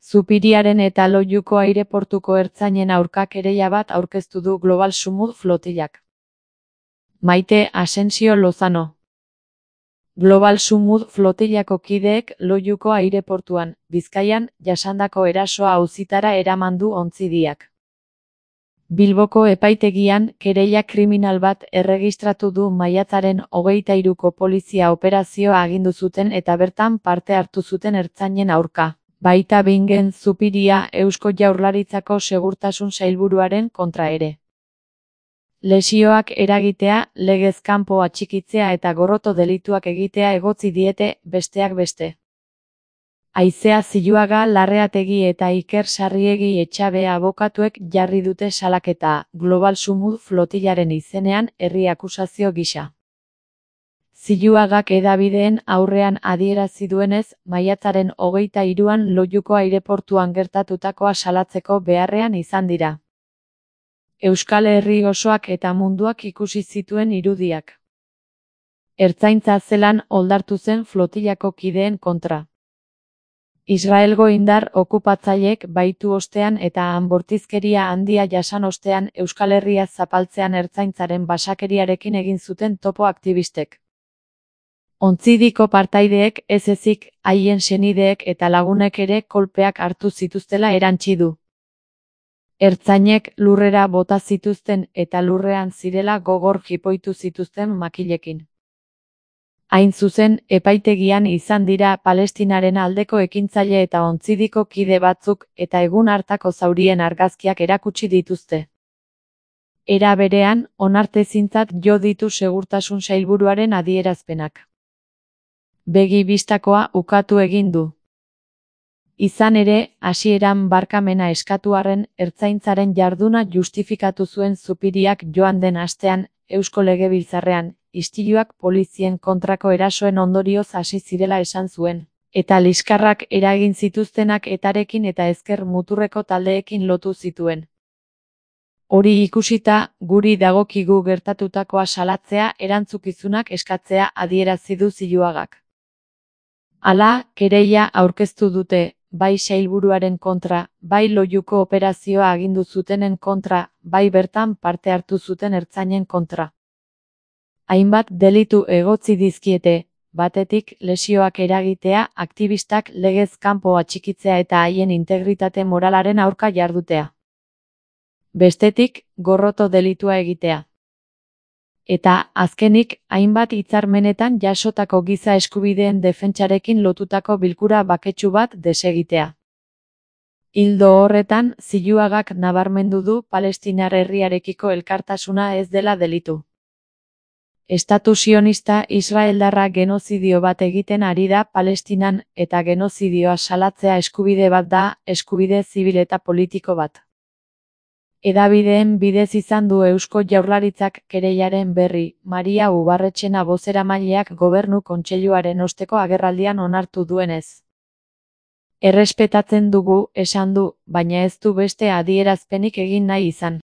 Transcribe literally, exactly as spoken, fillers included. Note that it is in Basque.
Zupiriaren eta Loiuko aireportuko ertzainen aurka kereila bat aurkeztu du Global Sumud flotillak. Maite Asensio Lozano. Global Sumud flotillako kideek Loiuko aireportuan, Bizkaian, jasandako erasoa auzitara eraman du ontzidiak. Bilboko epaitegian, kereila kriminal bat erregistratu du maiatzaren hogeita hiruko polizia operazioa agindu zuten eta bertan parte hartu zuten ertzainen aurka. Baita Bingen Zupiria Eusko Jaurlaritzako Segurtasun Sailburuaren kontra ere. Lesioak eragitea, legez kanpo atxikitzea eta gorroto delituak egitea egotzi diete, besteak beste. Aizea Ziluaga Larreategi eta Iker Sarriegi Etxabe abokatuek jarri dute salaketa, Global Sumud flotillaren izenean herri akusazio gisa. Ziluagak hedabideen aurrean adierazi duenez, maiatzaren hogeita hiruan Loiuko aireportuan gertatutakoa salatzeko beharrean izan dira. Euskal Herri osoak eta munduak ikusi zituen irudiak. Ertzaintza zelan oldartu zen flotillako kideen kontra. Israelgo indar okupatzaileek baitu ostean eta han bortizkeria handia jasan ostean Euskal Herria zapaltzean ertzaintzaren basakeriarekin egin zuten topo aktivistek. Ontzidiko partaideek ez ezik, haien senideek eta lagunek ere kolpeak hartu zituztela erantsi du. Ertzainek lurrera bota zituzten eta lurrean zirela gogor jipoitu zituzten makilekin. Hain zuzen, epaitegian izan dira Palestinaren aldeko ekintzaile eta ontzidiko kide batzuk eta egun hartako zaurien argazkiak erakutsi dituzte. Era berean, onartezintzat jo ditu Segurtasun Sailburuaren adierazpenak. Begi bistakoa ukatu egin du. Izan ere, hasieran barkamena eskatu arren, ertzaintzaren jarduna justifikatu zuen Zupiriak joan den astean, Eusko Legebiltzarrean, istiluak polizien kontrako erasoen ondorioz hasi zirela esan zuen, eta liskarrak eragin zituztenak etarekin eta ezker muturreko taldeekin lotu zituen. Hori ikusita, guri dagokigu gertatutakoa salatzea erantzukizunak eskatzea adierazi du Ziluagak. Hala, kereila aurkeztu dute, bai sailburuaren kontra, bai Loiuko operazioa agindu zutenen kontra, bai bertan parte hartu zuten ertzainen kontra. Hainbat delitu egotzi dizkiete, batetik lesioak eragitea, aktivistak legez kanpo atxikitzea eta haien integritate moralaren aurka jardutea. Bestetik, gorroto delitua egitea. Eta, azkenik, hainbat hitzarmenetan jasotako giza eskubideen defentsarekin lotutako bilkura baketsu bat desegitea. Ildo horretan, Ziluagak nabarmendu du Palestinar herriarekiko elkartasuna ez dela delitu. Estatu sionista israeldarra genozidio bat egiten ari da Palestinan eta genozidioa salatzea eskubide bat da, eskubide zibil eta politiko bat. Hedabideen bidez izan du Eusko Jaurlaritzak kereilaren berri, Maria Ubarretxena bozeramaileak Gobernu Kontseiluaren osteko agerraldian onartu duenez. Errespetatzen dugu, esan du, baina ez du beste adierazpenik egin nahi izan.